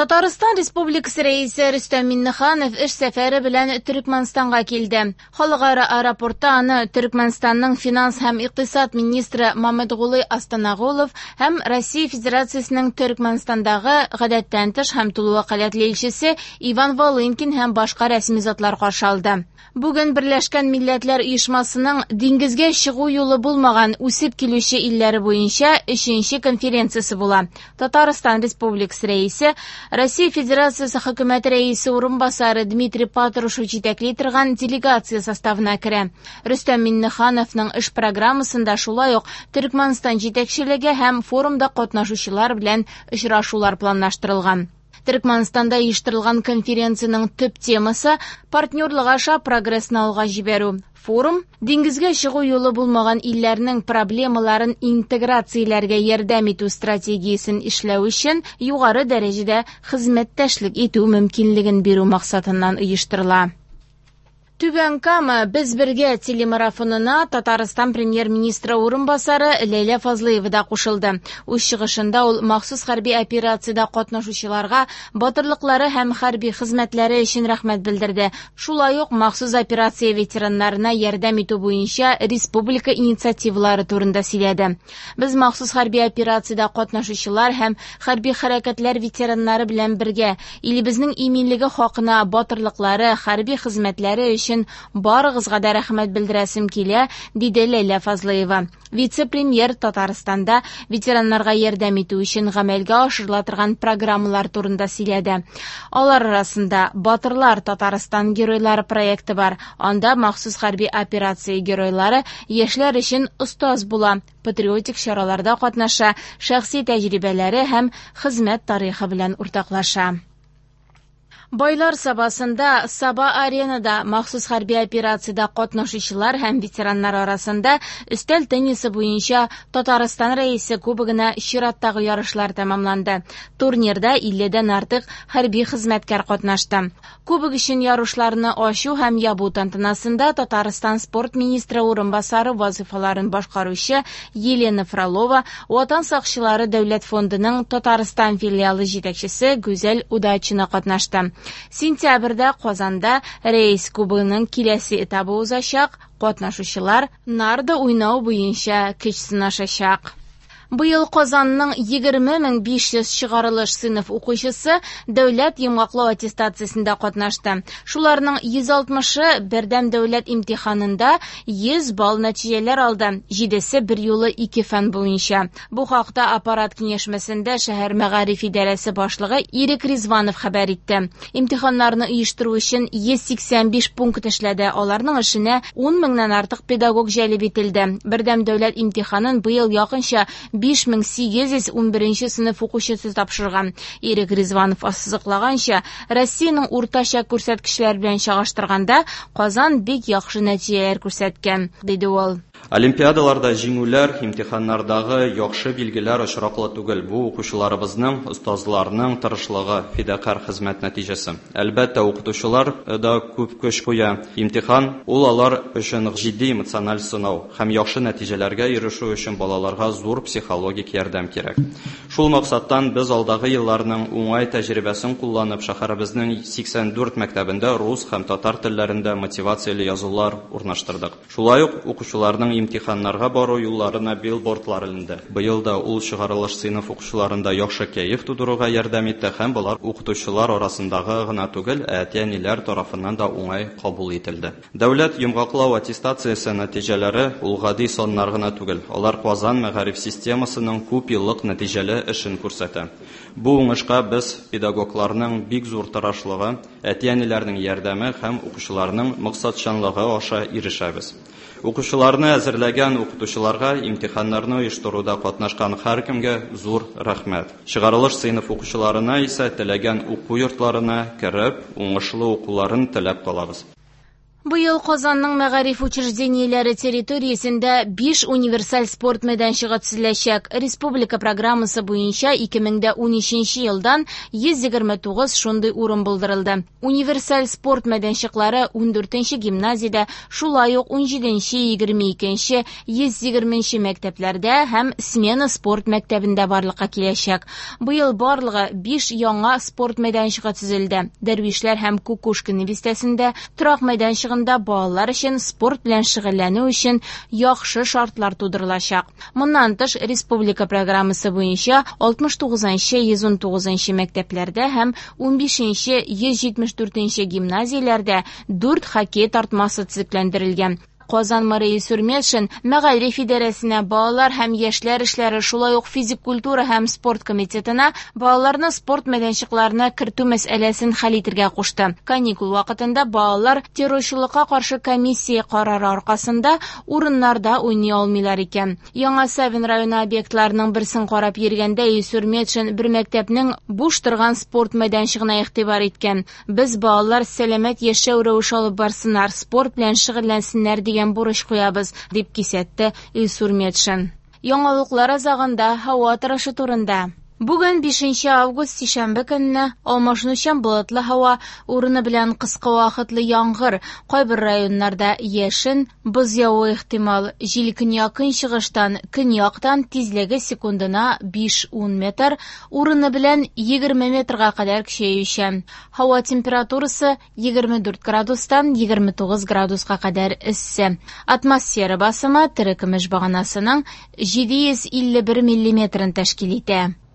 Татарстан Республикасы Рәисе Рөстәм Миңнеханов эш сәфәре белән Төркмәнстанга килде. Халыкара аэропортта аны Төркмәнстанның финанс һәм икътисад министры Мамедгулый Астанагулов һәм Россия Федерациясенең Төркмәнстандагы гадәттән тыш һәм тулы вәкаләтле илчесе Иван Волынкин һәм башка рәсми затлар каршы алды. Бүген Берләшкән Милләтләр Оешмасының диңгезгә чыгу юлы булмаган үсеп килүче илләре буенча өченче конференциясе була. Татарстан Республикасы Рәисе, Россия Федерациясе Хөкүмәте Рәисе урынбасары Дмитрий Патрушев җитәкли торган делегация составына керә. Рөстәм Миңнехановның эш программасында шулай ук Төркмәнстан җитәкчелеге һәм форумда катнашучылар белән очрашулар планлаштырылган. Төркмәнстанда оештырылган конференциянең төп темасы партнерлык аша прогрессны алга җибәрү. Форум диңгезгә чыгу юлы булмаган илләрнең проблемаларын интеграцияләргә ярдәм итү стратегиясен эшләү өчен югары дәрәҗәдә хезмәттәшлек итү мөмкинлеген бирү максатыннан оештырыла. Түбән Кама «Без бергә» телемарафонына Татарстан премьер-министры урынбасары Ләйлә Фазлыева да кушылды. Үз чыгышында ул махсус хәрби операциядә катнашучыларга батырлыклары һәм хәрби хезмәтләре өчен рәхмәт белдерде. Шулай ук махсус операция ветераннарына ярдәм итү буенча республика инициативалары турында сөйләде. Без махсус хәрби операциядә катнашучылар һәм хәрби хәрәкәтләр ветераннары белән бергә илебезнең иминлеге хакына батырлыклары, хәрби хезмәтләре өчен барыгызга да рәхмәт белдерәсем килә, диде Ләйлә Фазлыева. Вице-премьер Татарстанда ветераннарга ярдәм итү өчен гамәлгә ашырыла торган программалар турында сөйләде. Алар арасында Батырлар Татарстан геройлары проекты бар. Анда махсус хәрби операция геройлары яшьләр өчен остаз була, патриотик чараларда катнаша, шәхси тәҗрибәләре һәм хезмәт тарихы белән уртаклаша. Байлар Сабасында Саба-аренада махсус хәрби операциядә катнашучылар һәм ветераннар арасында өстәл теннисы буенча Татарстан Рәисе кубогына чираттагы ярышлар тәмамланды. Турнирда 50дән артык хәрби хезмәткәр катнашты. Кубок өчен ярышларны ачу һәм ябу тантанасында Татарстан спорт министры урынбасары вазыйфаларын башкаручы Елена Фролова, Ватан сакчылары дәүләт фондының Татарстан филиалы җитәкчесе Гүзәл Удачина катнашты. Сентябрьдә Казанда Рәис кубогының киләсе этабы узачак, катнашучылар нарды уйнау буенча көч сынашачак. Быел Казанның 20 500 чыгарылыш сыйныф укучысы дәүләт йомгаклау аттестациясендә катнашты. Шуларның 160-ы бердәм дәүләт имтиханында 100 балл нәтиҗәләр алды, җидесе берьюлы ике фән буенча. Бу хакта аппарат киңәшмәсендә шәһәр мәгариф идарәсе башлыгы Ирек Ризванов хәбәр итте. Имтиханнарны оештыру өчен 185 пункт эшләде. Аларның эшенә 10 меңнән артык педагог җәлеп ителде. Бердәм дәүләт имтиханын быел якынча 5811 сыйныф укучысы тапшырган. Ирек Ризванов ассызыклаганча, Россиянең уртача күрсәткечләре белән чагыштырганда, Казан бик яхшы нәтиҗәләр күрсәткән, диде ул. Олимпиадаларда җиңүләр, имтиханнардагы яхшы билгеләр очраклы түгел. Бу укучыларыбызның, остазларның тырышлыгы, фидакарь хезмәт нәтиҗәсе. Әлбәттә, укытучылар да күп көч куя. Имтихан ул алар өчен җитди эмоциональ сынау һәм яхшы нәтиҗәләргә ирешү өчен балаларга зур психологик ярдәм кирәк. Шул максаттан без алдагы елларның уңай тәҗрибәсен кулланып, шәһәребезнең 84 мәктәбендә рус һәм татар телләрендә мотивацияле язулар урнаштырдык. Шулай ук укучыларның имтиханнарга бару юлларына билбордлар эленде. Быел да ул чыгарылыш сыйныф укучыларында яхшы кәеф тудыруга ярдәм итте һәм болар укытучылар арасындагы гына түгел, ә әти-әниләр тарафыннан да уңай кабул ителде. Дәүләт йомгаклау аттестациясе нәтиҗәләре ул гади саннар гына түгел. Алар Казан мәгариф системасының күп еллык нәтиҗәле эшен күрсәтә. Бу уңышка без педагогларның бик зур тырышлыгы, әти-әниләрнең ярдәме һәм укучыларның максатчанлыгы аша ирешәбез. Укучыларны әзерләгән укытучыларга, имтиханнарны оештыруда катнашкан һәркемгә зур рәхмәт. Чыгарылыш сыйныф укучыларына исә теләгән уку йортларына кереп, уңышлы укуларын теләп калабыз. Быел Казанның мәгариф учреждениеләре территориясендә 5 универсаль спорт мәйданчыгы төзеләчәк. Республика программасы буенча 2013 елдан 129 шундый урын булдырылды. Универсаль спорт мәйданчыклары 14 гимназиядә, шулай ук 17, 22, 120 мәктәпләрдә һәм Смена спорт мәктәбендә барлыкка киләчәк. Быел барлыгы 5 яңа спорт мәйданчыгы төзелде. Дәрвишләр һәм Кукушкин бистәсендә торак мәйданчыгында балалар өчен спорт белән шөгыльләнү өчен яхшы шартлар тудырылачак. Моннан тыш, республика программасы буенча 69-нчы, 119-нчы мәктәпләрдә һәм 15-нче, 174-нче гимназияләрдә 4 хоккей тартмасы төзекләндерелгән. Казан мэры Илсур Метшин мәгариф идарәсенә, балалар һәм яшьләр эшләре, шулай ук физик культура һәм спорт комитетына балаларны спорт мәйданчыкларына кертү мәсьәләсен хәл итәргә кушты. Каникул вакытында балалар террорчылыкка каршы комиссия карары аркасында урыннарда уйный алмыйлар икән. Яңа Савин районы объектларының берсен карап йөргәндә Илсур Метшин бер мәктәпнең буш торган спорт мәйданчыгына игътибар иткән. Без балалар сәламәт яшәү рәвеше алып барсыннар, спорт белән шөгыльләнсеннәр дигән бурыч куябыз, дип кисәтте Илсур Метшин. Яңалыклар азагында һава торышы турында. Бүген 5 август сишәмбе көнне алмашынучан болытлы һава, урыны белән кыска вакытлы яңгыр, кайбер районнарда яшен, боз явуы ихтимал. Җил көньяк-көнчыгыштан, көньяктан тизлеге секундына 5-10 метр, урыны белән 20 метрга кадәр көчәючән. Һава температурасы 24 градустан 29 градуска кадәр эссе. Атмосфера басымы терекөмеш баганасының 751 миллиметрын тәшкил итә.